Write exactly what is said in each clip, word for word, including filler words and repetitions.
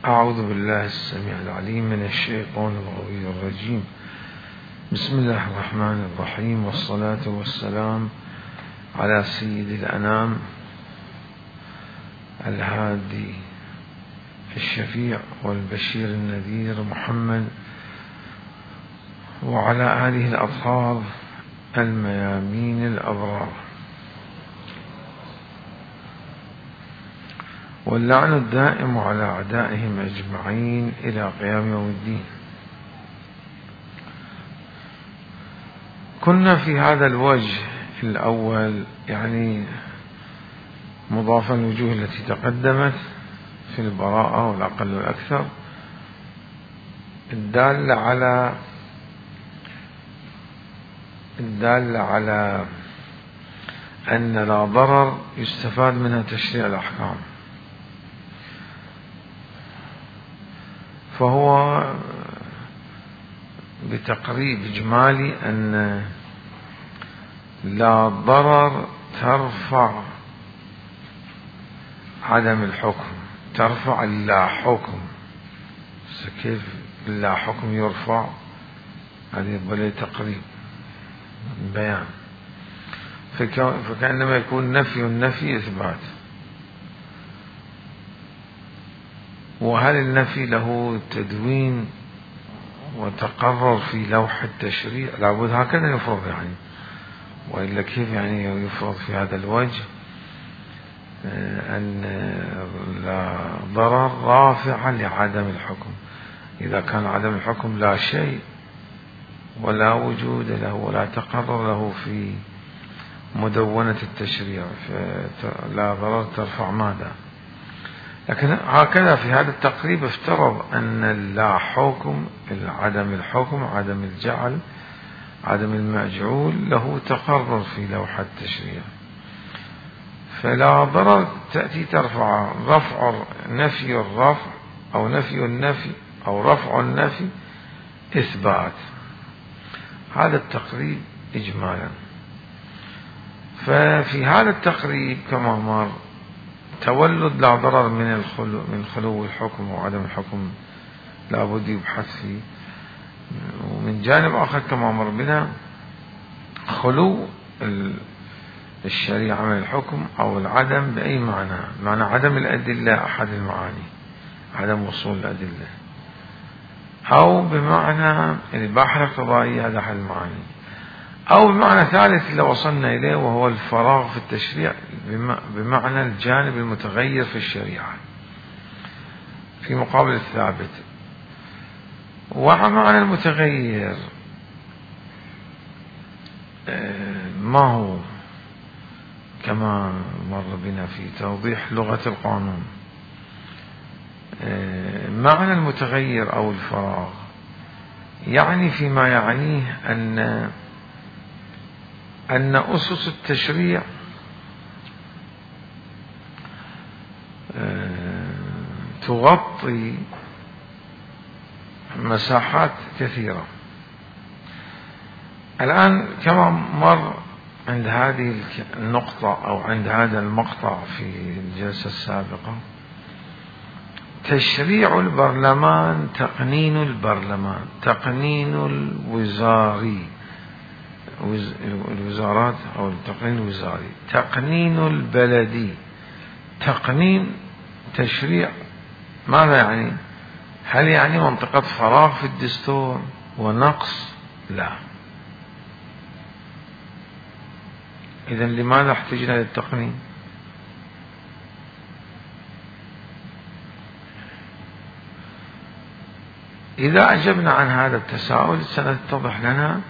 أعوذ بالله السميع العليم من الشيطان الغوي الرجيم. بسم الله الرحمن الرحيم، والصلاة والسلام على سيد الأنام الهادي الشفيع والبشير النذير محمد، وعلى آله الأطهار الميامين الأبرار، واللعن الدائم على أعدائهم أجمعين إلى قيام يوم الدين. كنا في هذا الوجه الأول، يعني مضافا الوجوه التي تقدمت في البراءة والأقل والأكثر، الدالة على الدالة على أن لا ضرر يستفاد منها تشريع الأحكام، فهو بتقريب إجمالي أن لا ضرر ترفع عدم الحكم، ترفع اللا حكم. كيف اللا حكم يرفع؟ هذه بلي تقريب بيان، فكأنما يكون نفي النفي إثبات. وهل النفي له تدوين وتقرر في لوح التشريع؟ لابد هكذا يفرض، يعني وإلا كيف يعني يفرض في هذا الوجه أن لا ضرر رافع لعدم الحكم؟ إذا كان عدم الحكم لا شيء ولا وجود له ولا تقرر له في مدونة التشريع، فلا ضرر ترفع ماذا؟ لكن هكذا في هذا التقريب افترض أن لا حكم، عدم الحكم، عدم الجعل، عدم المجعول له تقرر في لوحة التشريع، فلا ضرر تأتي ترفع رفع نفي الرفع أو نفي النفي أو رفع النفي إثبات. هذا التقريب إجمالا. ففي هذا التقريب كما مر تولد لا ضرر من الخلو من خلو الحكم وعدم الحكم لا بد يبحث فيه، ومن جانب آخر كما مر بنا خلو الشريعة من الحكم أو العدم بأي معنى، معنى عدم الأدلة أحد المعاني، عدم وصول الأدلة، أو بمعنى الإباحة الاقتضائية هذا أحد المعاني، أو بمعنى ثالث لو وصلنا إليه وهو الفراغ في التشريع بمعنى الجانب المتغير في الشريعة في مقابل الثابت. ومعنى المتغير ما هو؟ كما مر بنا في توضيح لغة القانون، معنى المتغير أو الفراغ يعني فيما يعنيه أن أن أسس التشريع تغطي مساحات كثيرة. الآن كما مر عند هذه النقطة أو عند هذا المقطع في الجلسة السابقة، تشريع البرلمان تقنين البرلمان، تقنين الوزاري، الوزارات أو التقنين الوزاري، تقنين البلدي، تقنين تشريع. ماذا يعني؟ هل يعني منطقة فراغ في الدستور ونقص؟ لا. إذن لماذا احتجنا للتقنين؟ إذا أجبنا عن هذا التساؤل سنتضح لنا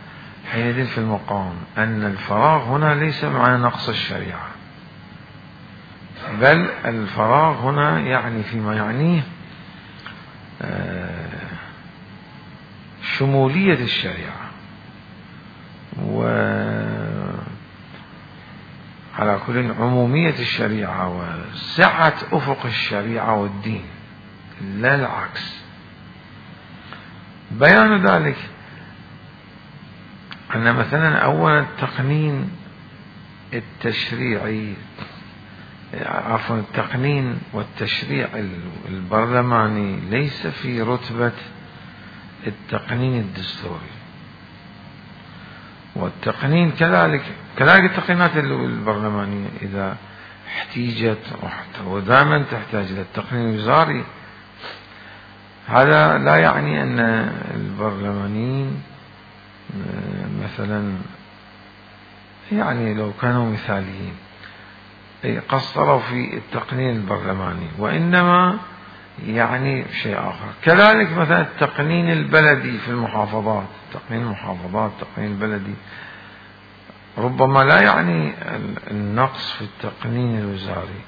حينئذ في المقام أن الفراغ هنا ليس معنى نقص الشريعة، بل الفراغ هنا يعني فيما يعنيه شمولية الشريعة، وعلى كل عمومية الشريعة وسعة أفق الشريعة والدين، لا العكس. بيان ذلك أن مثلا أولا التقنين التشريعي عفوا التقنين والتشريع البرلماني ليس في رتبة التقنين الدستوري، والتقنين كذلك كذلك التقنينات البرلمانية إذا احتيجت ودائما تحتاج إلى التقنين الوزاري. هذا لا يعني أن البرلمانيين مثلا يعني لو كانوا مثاليين قصروا في التقنين البرلماني، وإنما يعني شيء آخر. كذلك مثلا التقنين البلدي في المحافظات، تقنين المحافظات التقنين البلدي ربما لا يعني النقص في التقنين الوزاري.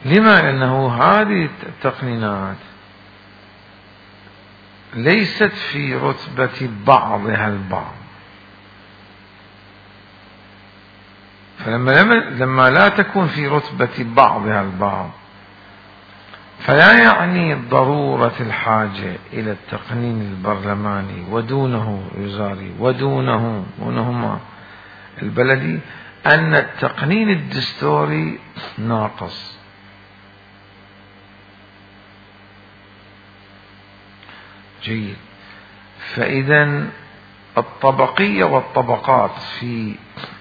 لما؟ لأنه هذه التقنينات ليست في رتبة بعضها البعض، فلما لما لا تكون في رتبة بعضها البعض فلا يعني ضرورة الحاجة إلى التقنين البرلماني ودونه الوزاري ودونه ودونهما البلدي أن التقنين الدستوري ناقص. جيد. فإذا الطبقية والطبقات في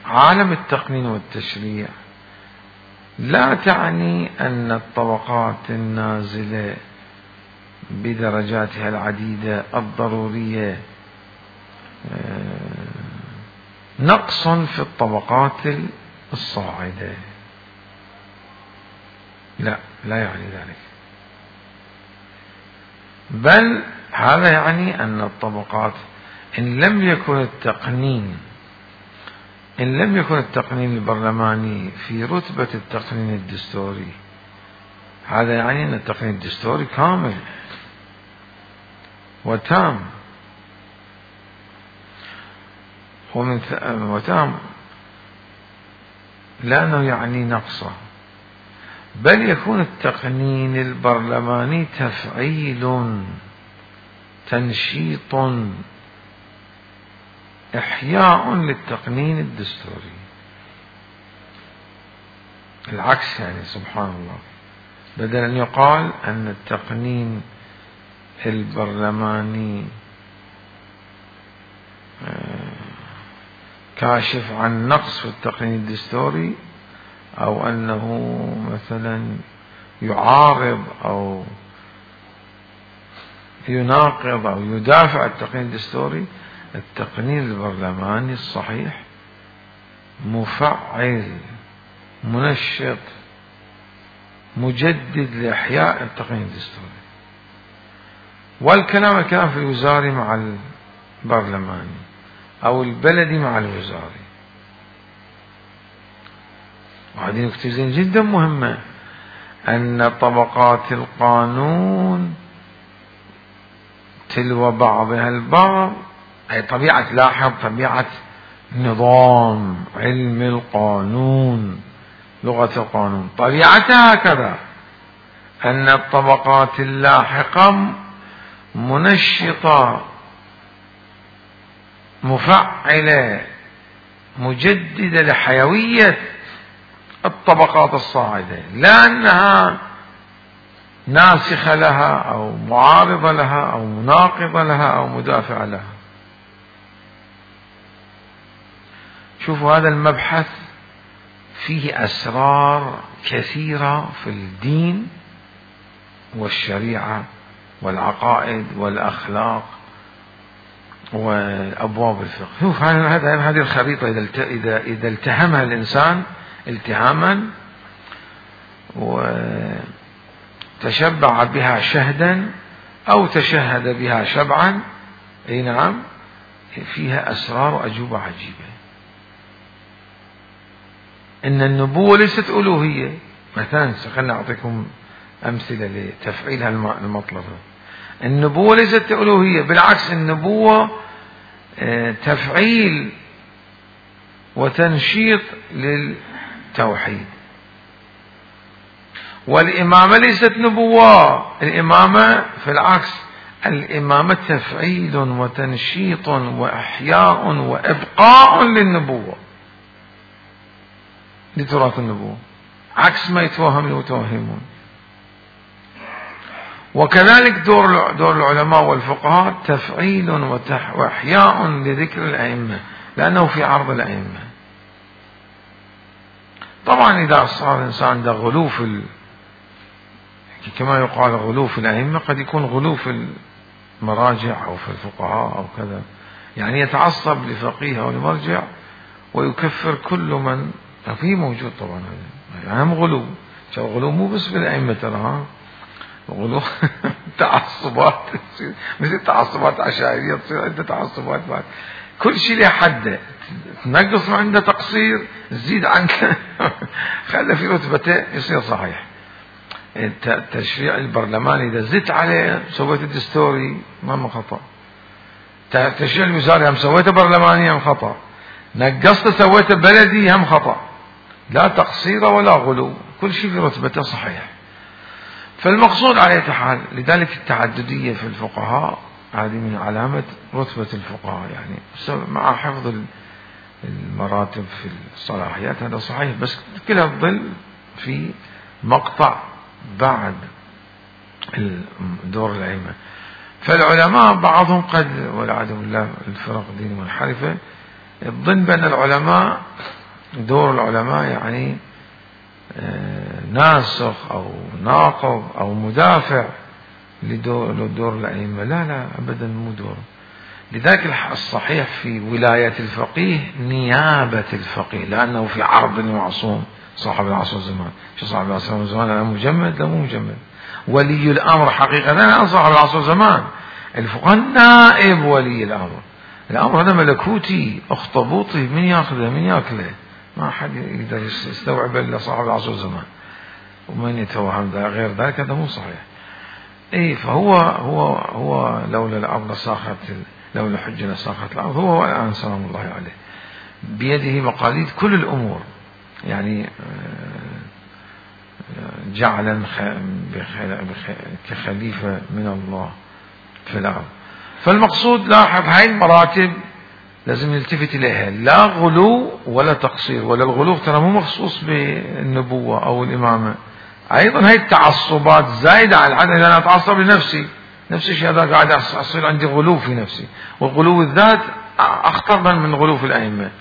عالم التقنين والتشريع لا تعني أن الطبقات النازلة بدرجاتها العديدة الضرورية نقص في الطبقات الصاعدة، لا لا يعني ذلك، بل هذا يعني أن الطبقات إن لم يكن التقنين إن لم يكن التقنين البرلماني في رتبة التقنين الدستوري، هذا يعني أن التقنين الدستوري كامل وتام ومن وتام لا أنه يعني نقصه، بل يكون التقنين البرلماني تفعيل تنشيط إحياء للتقنين الدستوري. العكس يعني سبحان الله، بدل أن يقال أن التقنين البرلماني كاشف عن نقص في التقنين الدستوري أو أنه مثلا يعارض أو يناقض أو يدافع التقنين الدستوري، التقنين البرلماني الصحيح مفعل منشط مجدد لإحياء التقنين الدستوري. والكلام الكلام في الوزاري مع البرلماني أو البلدي مع الوزاري. وهذه نقطة جدا مهمة، أن طبقات القانون تلو بعضها البعض، أي طبيعة لاحظ طبيعة نظام علم القانون لغة القانون طبيعتها هكذا، أن الطبقات اللاحقة منشطة مفعلة مجددة لحيوية الطبقات الصاعدة، لا أنها ناسخة لها أو معارضة لها أو مناقضة لها أو مدافعة لها. شوفوا هذا المبحث فيه أسرار كثيرة في الدين والشريعة والعقائد والأخلاق وأبواب الفقه. شوف هذه الخريطة إذا إذا التهمها الإنسان التهاما وتشبع بها شهدا أو تشهد بها شبعا، أي نعم، فيها أسرار وأجوبة عجيبة. إن النبوة ليست ألوهية مثلا، خلنا أعطيكم أمثلة لتفعيل هالمطلب. النبوة ليست ألوهية، بالعكس النبوة تفعيل وتنشيط للتوحيد. والإمامة ليست نبوة، الإمامة في العكس، الإمامة تفعيل وتنشيط وإحياء وإبقاء للنبوة. لتراث النبوة، عكس ما يتوهم المتوهمون. وكذلك دور دور العلماء والفقهاء تفعيل وإحياء لذكر الأئمة، لأنه في عرض الأئمة. طبعا إذا صار الإنسان عنده غلو في ال... كما يقال غلو في الأئمة، قد يكون غلو في المراجع أو في الفقهاء أو كذا، يعني يتعصب لفقيه أو لمرجع ويكفر كل من فيه موجود. طبعا هذا يعني غلو، غلو مو بس في الأئمة ترى، غلو تعصبات، مثل تعصبات عشائرية تصير عندها تعصبات بعد. كل شيء له حده، تنقص ما عنده تقصير، تزيد عنك خلى في رتبته يصير صحيح. التشريع البرلماني إذا زدت عليه سويت الدستوري ما من خطأ، التشريع الوزاري هم سويته برلماني هم خطأ، نقصته سويته بلدي هم خطأ، لا تقصير ولا غلو، كل شيء في رتبته صحيح. فالمقصود على حال، لذلك التعددية في الفقهاء هذه من علامة رتبة الفقهاء، يعني مع حفظ المراتب في الصلاحيات هذا صحيح، بس كلها تظل في مقطع بعد دور الأئمة. فالعلماء بعضهم قد والعياذ بالله الفرق الدينية المنحرفة تظن بأن العلماء دور العلماء يعني ناسخ أو ناقض أو مدافع لدور, لدور الأئمة. لا لا أبدا مو دور. لذلك الصحيح في ولاية الفقيه نيابة الفقيه، لأنه في عرض المعصوم صاحب العصر والزمان. شو صاحب العصر والزمان؟ لا مجمد لا مو مجمد. ولي الأمر حقيقة لا صاحب العصر والزمان، الفقهاء نائب ولي الأمر. الأمر هذا ملكوتي اخطبوطي، من ياخذه من ياكله، ما حد يقدر يستوعب إلا صاحب العصر والزمان، ومن يتوهم غير ذلك هذا مو صحيح. اي فهو هو هو لولا الأرض لساخت، لولا الحجة لساخت الأرض. هو الآن سلام الله عليه بيده مقاليد كل الأمور، يعني جعلا كخليفة من الله في الأرض. فالمقصود لاحظ هاي المراتب لازم نلتفت إليها، لا غلو ولا تقصير. ولا الغلو ترى مو مخصوص بالنبوة أو الإمامة، أيضا هاي التعصبات زايدة على الحد. إذا أنا أتعصب لنفسي، نفس الشيء هذا قاعد أصير عندي غلو في نفسي، والغلو الذات أخطر من غلو في الأئمة.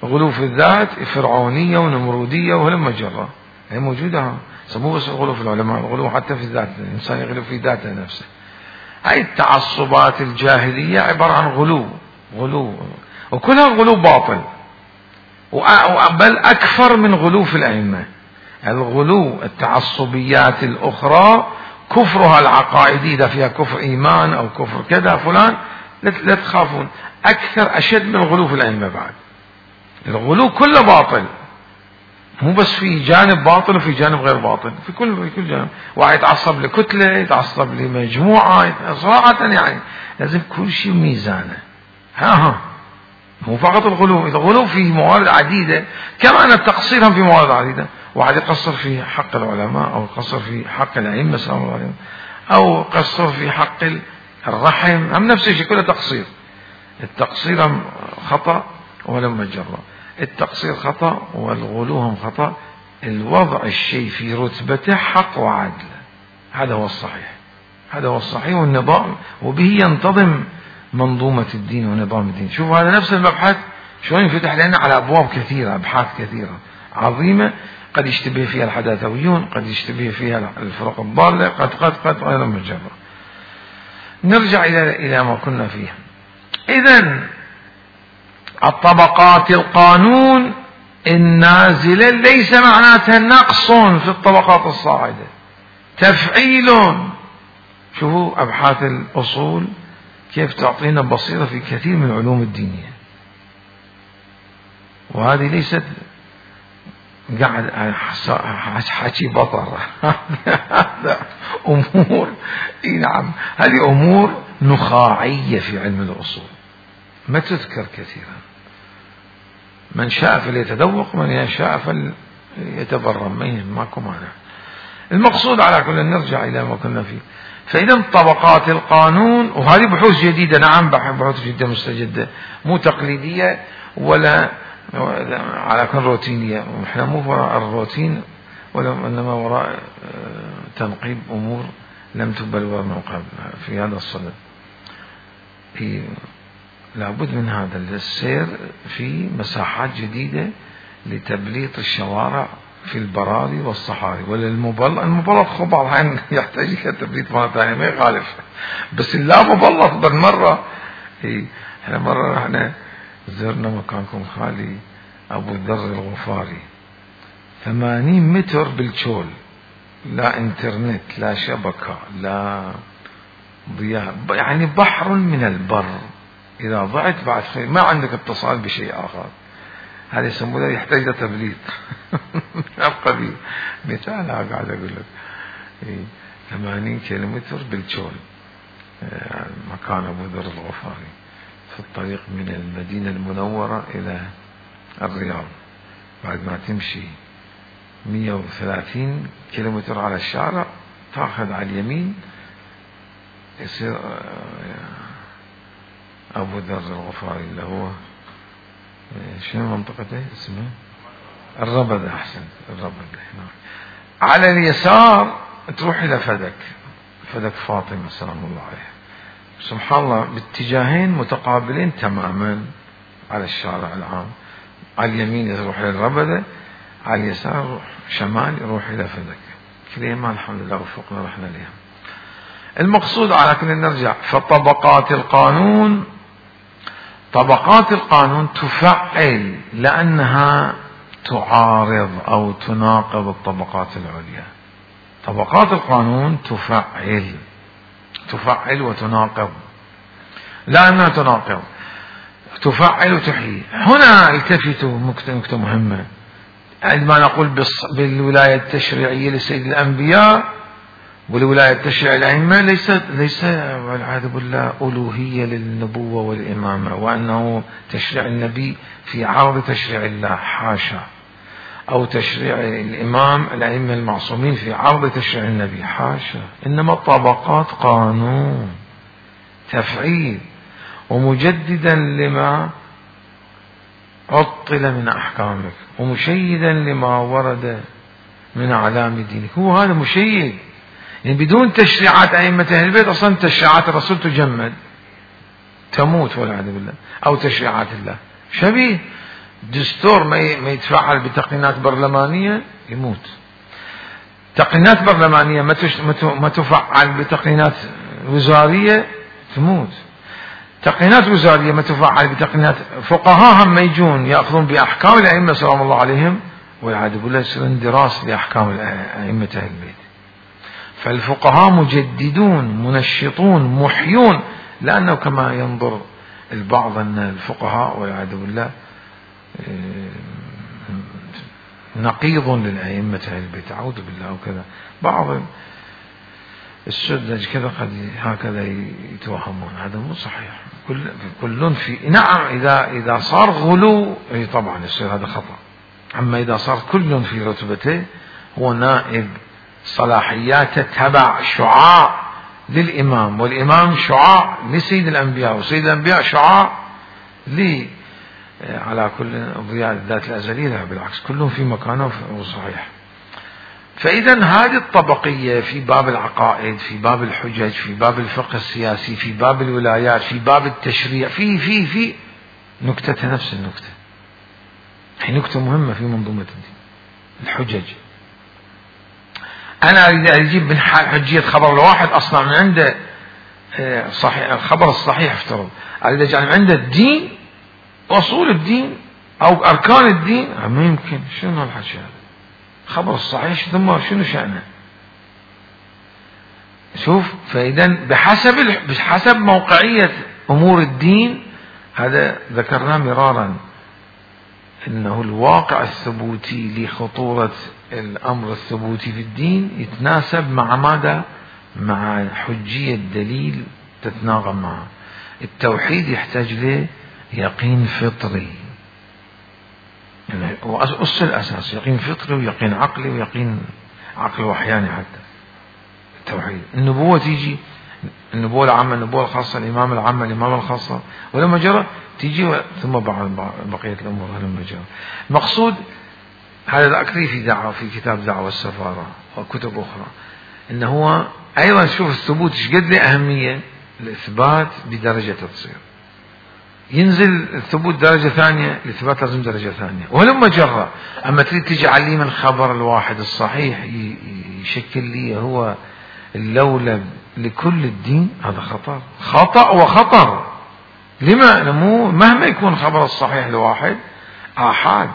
غلو في الذات فرعونية ونمرودية وهلم جرة، هي موجودة. مو بس الغلو في العلماء، الغلو حتى في الذات، الإنسان يغلو في ذاته نفسه. هاي التعصبات الجاهلية عبارة عن غلو، غلو وكلها غلو باطل، بل أكثر من غلو في الأئمة. الغلو التعصبيات الأخرى كفرها العقائدي، إذا فيها كفر إيمان أو كفر كذا فلان لا تخافون، أكثر أشد من الغلو في الأئمة. بعد الغلو كله باطل، مو بس في جانب باطل وفي جانب غير باطل، في كل في كل جانب. واحد يتعصب لكتلة، يتعصب لمجموعة، صراحة يعني لازم كل شيء ميزانه. ها ها مو فقط الغلو، الغلو في موارد عديدة، كما أن التقصير هم في موارد عديدة. واحد يقصر في حق العلماء، أو يقصر في حق الأئمة سلام الله عليهم، أو يقصر في حق الرحم، هم نفس الشيء، كله تقصير. التقصير خطأ ولم جرى، التقصير خطأ والغلو هم خطأ. الوضع الشيء في رتبته حق وعدل، هذا هو الصحيح، هذا هو الصحيح والنظام، وبه ينتظم منظومة الدين ونظام الدين. شوفوا هذا نفس المبحث شلون ينفتح لنا على أبواب كثيرة، أبحاث كثيرة عظيمة، قد يشتبه فيها الحداثويون، قد يشتبه فيها الفرق الضالة، قد قد قد غير مجرد. نرجع إلى إلى ما كنا فيه. إذن الطبقات القانون النازلة ليس معناتها نقص في الطبقات الصاعدة، تفعيل. شوفوا أبحاث الأصول كيف تعطينا بصيرة في كثير من العلوم الدينية، وهذه ليست قاعد حكي بطر هذا أمور، نعم هذه أمور نخاعية في علم الأصول ما تذكر كثيرا. من شاء فليتذوق، من شاء فليتبرم، ماكو مانع. المقصود على كل نرجع إلى ما كنا فيه. فإذا طبقات القانون، وهذه بحوث جديدة، نعم بحوث جدا مستجدة، مو تقليدية ولا على كل روتينية، ونحن مو وراء الروتين وإنما وراء تنقيب أمور لم تبلور من قبل في هذا الصدد. لابد من هذا السير في مساحات جديدة لتبليط الشوارع في البراري والصحاري. وللمبلط المبلط خب بعض الأحيان يحتاج إلى تبليط مرة ثانية ما يخالف، بس اللا مبلط بالمرة. احنا مرة رحنا زرنا مكانكم خالي أبو ذر الغفاري، ثمانين متر بالشول، لا انترنت لا شبكة لا ضياء، يعني بحر من البر. إذا ضعت بعد خير ما عندك اتصال بشيء آخر، هذا يسمونه يحتاج إلى تبليط. أبقى بي مثال قاعد أقول لك ثمانين كيلومتر بالشول، مكان أبو ذر الغفاري في الطريق من المدينة المنورة إلى الرياض. بعد ما تمشي مئة وثلاثين كيلومتر على الشارع تأخذ على اليمين يصير أبو ذر الغفاري اللي هو شنو منطقته اسمه الربذة. أحسن الربذة. على اليسار تروح إلى فدك، فدك فاطمة سلام الله عليها. سبحان الله باتجاهين متقابلين تماما على الشارع العام. على اليمين يروح إلى الربذة، على اليسار يروح شمال يروح إلى فدك. كليما الحمد لله وفقنا رحنا لها. المقصود على كل نرجع، فطبقات القانون طبقات القانون تفعل لأنها تعارض أو تناقض الطبقات العليا. طبقات القانون تفعل تفعل وتناقض، لأنها تناقض تفعل وتحيي. هنا التفتوا نكتة مهمة عندما نقول بالولاية التشريعية لسيد الأنبياء والولاية التشريعية الأئمة ليس ليس والعياذ بالله ألوهية للنبوة والإمامة، وأنه تشريع النبي في عرض تشريع الله، حاشا، أو تشريع الإمام الأئمة المعصومين في عرض تشريع النبي، حاشا. إنما طبقات قانون تفعيل ومجددا لما عطل من أحكامك ومشيدا لما ورد من أعلام دينك. هو هذا مشيد، يعني بدون تشريعات أئمة أهل البيت أصلا تشريعات الرسول تجمد تموت والعياذ بالله، أو تشريعات الله شبيه دستور ما يتفعل بتقنينات برلمانية يموت، تقنينات برلمانية ما تفعل بتقنينات وزارية تموت، تقنينات وزارية ما تفعل بتقنينات فقهاء هم يجون يأخذون بأحكام الأئمة سلام الله عليهم والعياذ بالله يصير اندراس لأحكام أئمة أهل البيت. فالفقهاء مجددون منشطون محيون، لأنه كما ينظر البعض أن الفقهاء والعياذ بالله نقيض للأئمة أهل البيت، أعوذ بالله. وكذا بعض السذج كذا قد هكذا يتوهمون، هذا مو صحيح. كل كل في نعم إذا إذا صار غلو طبعا يصير هذا خطأ، أما إذا صار كل في رتبته هو نائب صلاحياته تبع شعاع للإمام، والإمام شعاع لسيد الأنبياء، وسيد الأنبياء شعاع لي على كل ضياء الذات الأزلية، بالعكس كلهم في مكانه وصحيح. فإذا هذه الطبقية في باب العقائد، في باب الحجج، في باب الفقه السياسي، في باب الولايات، في باب التشريع، في في في نكتة نفس النكتة، هي نكتة مهمة في منظومة الدين. الحجج أنا أريد أجيب من حجية خبر الواحد أصلا من عنده صحيح الخبر الصحيح، افترض أريد أجعل من عنده الدين أصول الدين أو أركان الدين، ما يمكن. شنو هالحكي هذا؟ خبر الصحيح ثم شنو شأنه؟ شوف، فإذا بحسب بحسب موقعية أمور الدين، هذا ذكرناه مرارا إنه الواقع الثبوتي لخطورة الأمر الثبوتي في الدين يتناسب مع ماذا؟ مع حجية دليل تتناغم معه. التوحيد يحتاج له يقين فطري، يعني هو أصل الأساس، يقين فطري ويقين عقلي ويقين عقل وحياني. حتى التوحيد النبوة تيجي، النبوة العامة النبوة الخاصة، الإمام العامة الإمام الخاصة، ولما جرى تيجي ثم بعد بقية الأمور هالمجال. المقصود هذا ذكري في دعوة في كتاب دعوة السفارة وكتب أخرى، إنه هو أيضا شوف الثبوت ايش قد له أهمية. الإثبات بدرجة تصير، ينزل الثبوت درجة ثانية، الإثبات لازم درجة ثانية، ولما جرى. أما تريد تجعل لي من خبر الواحد الصحيح يشكل لي هو اللولب لكل الدين، هذا خطر، خطأ وخطر. لما؟ نمو مهما يكون خبر الصحيح لواحد آحاد،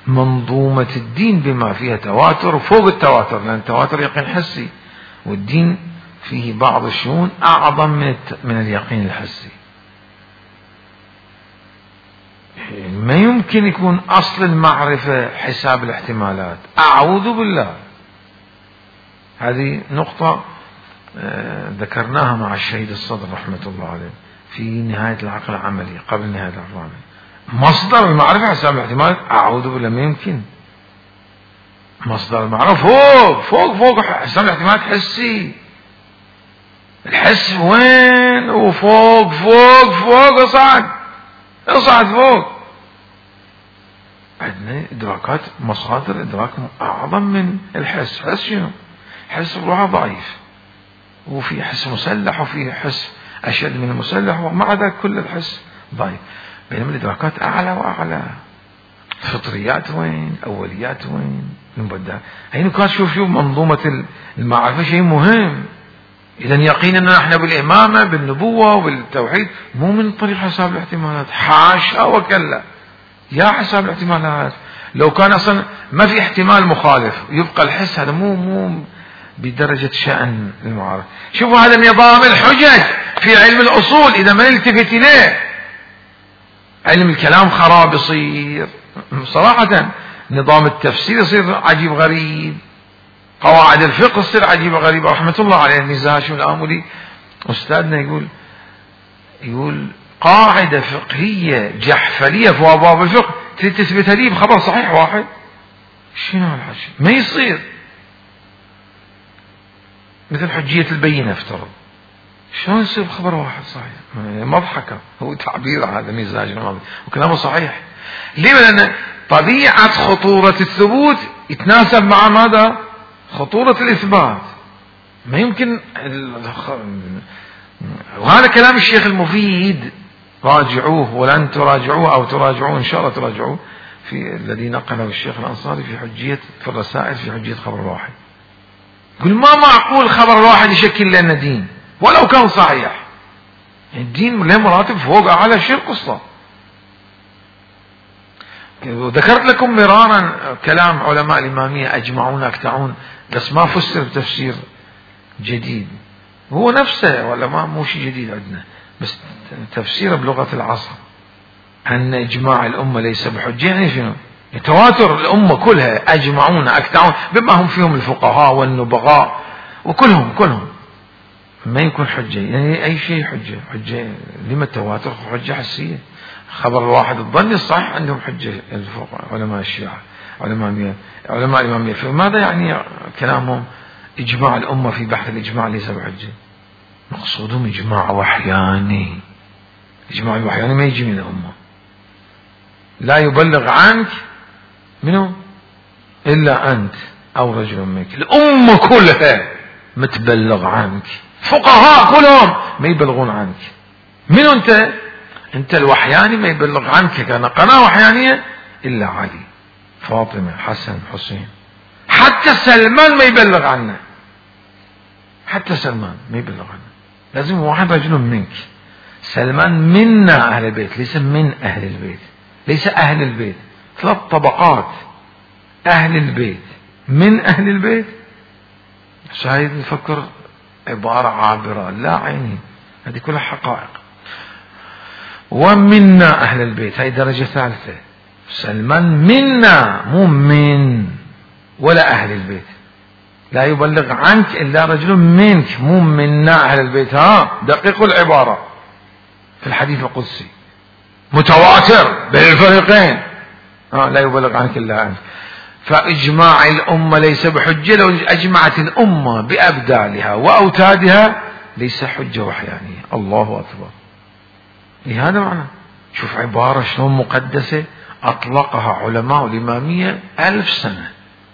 منظومة الدين بما فيها تواتر وفوق التواتر، لأن التواتر يقين حسي، والدين فيه بعض الشؤون أعظم من من اليقين الحسي. ما يمكن يكون أصل المعرفة حساب الاحتمالات، أعوذ بالله. هذه نقطة ذكرناها مع الشهيد الصدر رحمة الله عليه في نهاية العقل العملي، قبل نهاية العقل العملي. مصدر المعرفة حساب الاحتمالات، أعوذ بالله، ما يمكن. مصدر المعرفة فوق فوق فوق حساب الاحتمالات حسي. الحس وين؟ وفوق فوق فوق اصعد اصعد فوق. عندنا إدراكات، مصادر إدراك أعظم من الحس. حس شنو؟ حس بروحه ضعيف، وفي حس مسلح وفي حس أشد من المسلح، ومع ذلك كل الحس ضعيف. بينما الإدراكات أعلى وأعلى. فطريات وين؟ أوليات وين؟ المبدع. هي نقاط. شوف شوف منظومة المعرفة شيء مهم. إذا يقيننا نحن بالإمامة بالنبوة وبالتوحيد مو من طريق حساب الاحتمالات، حاشا وكلا. يا حساب الاحتمالات، لو كان أصلا ما في احتمال مخالف يبقى الحس، هذا مو مو بدرجة شأن المعارف. شوفوا هذا نظام الحجج في علم الأصول إذا ما نلتفت إليه، علم الكلام خراب يصير صراحة. نظام التفسير يصير عجيب غريب، قواعد الفقه تصير عجيبة غريبة. رحمة الله عليه المزاج والآملي أستاذنا يقول يقول قاعدة فقهية جحفلية في أبواب الفقه تريد تثبتها لي بخبر صحيح واحد؟ شنو هالحكي؟ ما يصير. مثل حجية البينة افترض، شلون يصير بخبر واحد صحيح؟ مضحكة، هو تعبير هذا مزاج وكلامه صحيح. ليه؟ لأن طبيعة خطورة الثبوت يتناسب مع ماذا؟ خطورة الإثبات. ما يمكن. وهذا كلام الشيخ المفيد، راجعوه ولن تراجعوه أو تراجعوه إن شاء الله تراجعوه، في الذي نقله الشيخ الأنصاري في حجية في الرسائل في حجية خبر الواحد. يقول ما معقول خبر الواحد يشكل لنا دين ولو كان صحيح. الدين له مراتب فوق أعلى. شيء القصة. وذكرت لكم مرارا كلام علماء الإمامية أجمعون أكتعون، بس ما فسر بتفسير جديد، هو نفسه ولا ما مو شيء جديد عندنا، بس تفسير بلغة العصر أن إجماع الأمة ليس بحجة. يعني شنو؟ تواتر الأمة كلها أجمعون أكتعون، بما هم فيهم الفقهاء والنبغاء وكلهم كلهم ما يكون حجة. يعني أي شيء حجة. حجة لما التواتر حجة حسية. خبر الواحد الظني الصحيح عندهم حجة الفقهاء علماء الشيعة علماء علماء الإمامية. فماذا يعني كلامهم إجماع الأمة في بحث الإجماع ليس بحجة؟ مقصودهم إجماع وحياني. إجماع الوحياني ما يجي من الأمة. لا يبلغ عنك منه إلا أنت أو رجل منك. الأمة كلها متبلغ عنك، فقهاء كلهم ما يبلغون عنك. من أنت؟ أنت الوحياني ما يبلغ عنك. كان قناة وحيانية إلا علي فاطمة حسن حسين. حتى سلمان ما يبلغ عنه، حتى سلمان ما يبلغ عنه. لازم واحد رجل منك. سلمان منا أهل البيت، ليس من أهل البيت، ليس أهل البيت. ثلاث طبقات. أهل البيت، من أهل البيت. شايف نفكر عبارة عابرة، لا عيني، هذه كلها حقائق. ومنا أهل البيت، هذه درجة ثالثة. سلمان منا، مو من ولا أهل البيت. لا يبلغ عنك إلا رجل منك، مو منا أهل البيت. ها دقيقوا العبارة في الحديث القدسي متواتر بين الفريقين. ها لا يبلغ عنك إلا أنت. فإجماع الأمة ليس بحجة. لو أجمعت الأمة بأبدالها وأوتادها ليس حجة وحيانية. الله أكبر. إيه هذا معنى. شوف عبارة شلون مقدسة أطلقها علماء الإمامية ألف سنة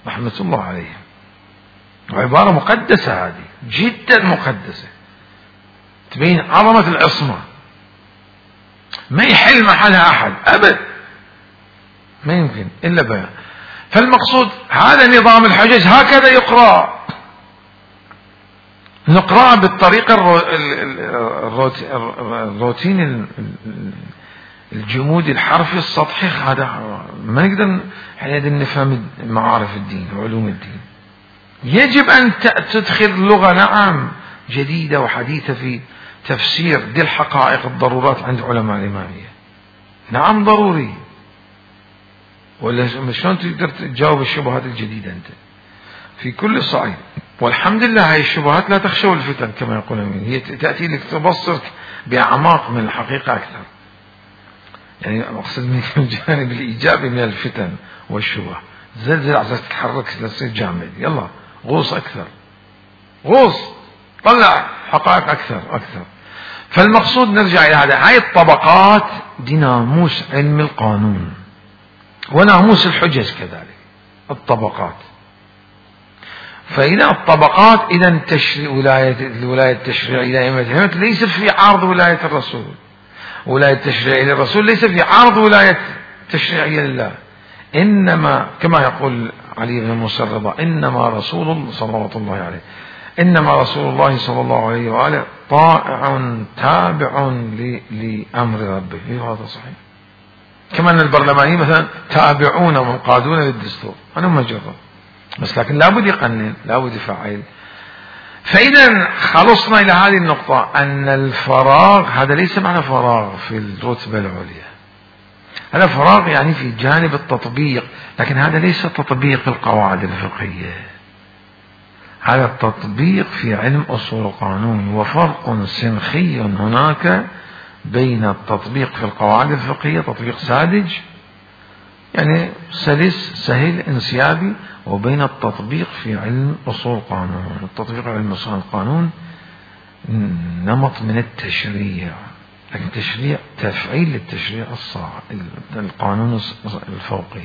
رحمة الله عليهم. عبارة مقدسة هذه جدا مقدسة تبين عظمة العصمة، ما يحل محلها أحد أبد، ما يمكن إلا بيان. فالمقصود هذا نظام الحجج هكذا يقرأ، نقرأ بالطريقة الروتين الجمودي الحرفي السطحي، هذا ما نقدر حين نفهم معارف الدين وعلوم الدين. يجب أن تدخل لغة نعم جديدة وحديثة في تفسير دي الحقائق الضرورات عند علماء الإمامية، نعم ضروري، ولا شلون تقدر تجاوب الشبهات الجديدة أنت في كل صعيد. والحمد لله هاي الشبهات لا تخشوا الفتن كما يقولون، هي تأتي لك تبصرك بأعماق من الحقيقة أكثر، يعني أقصد من الجانب الإيجابي من الفتن والشبه. زلزل عشان تتحرك تصير جامد، يلا غوص أكثر، غوص طلع حقائق أكثر أكثر. فالمقصود نرجع إلى هذا، هاي الطبقات دي ناموس علم القانون وناموس الحجج كذلك الطبقات. فإذا الطبقات إذا تشريع ولاية الولاية التشريعية لأئمة ليس في عرض ولاية الرسول، ولاية التشريعية للرسول ليس في عرض ولاية تشريعية لله، إنما كما يقول علي بن موسى الرضا إنما رسول الله صلوات الله عليه إنما رسول الله صلى الله عليه وآله طائع تابع لأمر ربه. هذا صحيح. كما أن البرلمانيين مثلا تابعون ومنقادون للدستور، أنا مجرد بس لكن لابد يقنن لابد يفعل. فإذا خلصنا إلى هذه النقطة أن الفراغ هذا ليس معنى فراغ في الرتبة العليا، هذا فراغ يعني في جانب التطبيق، لكن هذا ليس تطبيق القواعد الفقهية، هذا التطبيق في علم أصول القانون. وفرق سنخي هناك بين التطبيق في القواعد الفقهية تطبيق ساذج يعني سلس سهل انسيابي، وبين التطبيق في علم أصول القانون. التطبيق في علم أصول القانون نمط من التشريع، لكن تشريع تفعيل للتشريع الصاع القانون الفوقي.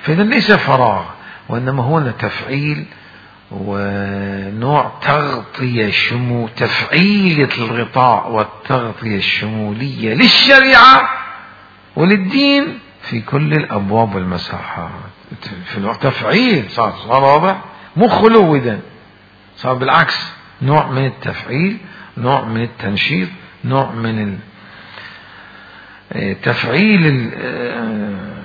فإذا ليس فراغ، وإنما هو تفعيل ونوع تغطية شمو تفعيل الغطاء والتغطية الشمولية للشريعة وللدين في كل الأبواب والمساحات. في الوقت تفعيل صار صار واضح، مو خلو إذن صار بالعكس، نوع من التفعيل، نوع من التنشيط، نوع من تفعيل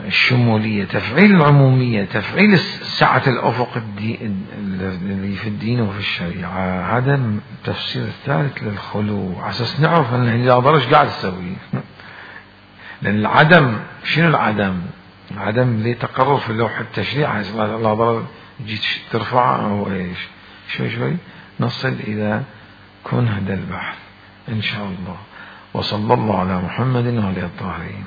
الشمولية، تفعيل العمومية، تفعيل سعة الأفق اللي في الدين وفي الشريعة. هذا التفسير الثالث للخلو، عساس نعرف أن الهدى ايش قاعد تسوي. لأن العدم شنو العدم؟ العدم اللي تقرر في اللوح التشريع الله ضرب جيت ترفعه أو إيش شوي شوي نصل إلى كن هذا البحث إن شاء الله. وصلى الله على محمد وعلى الطاهرين.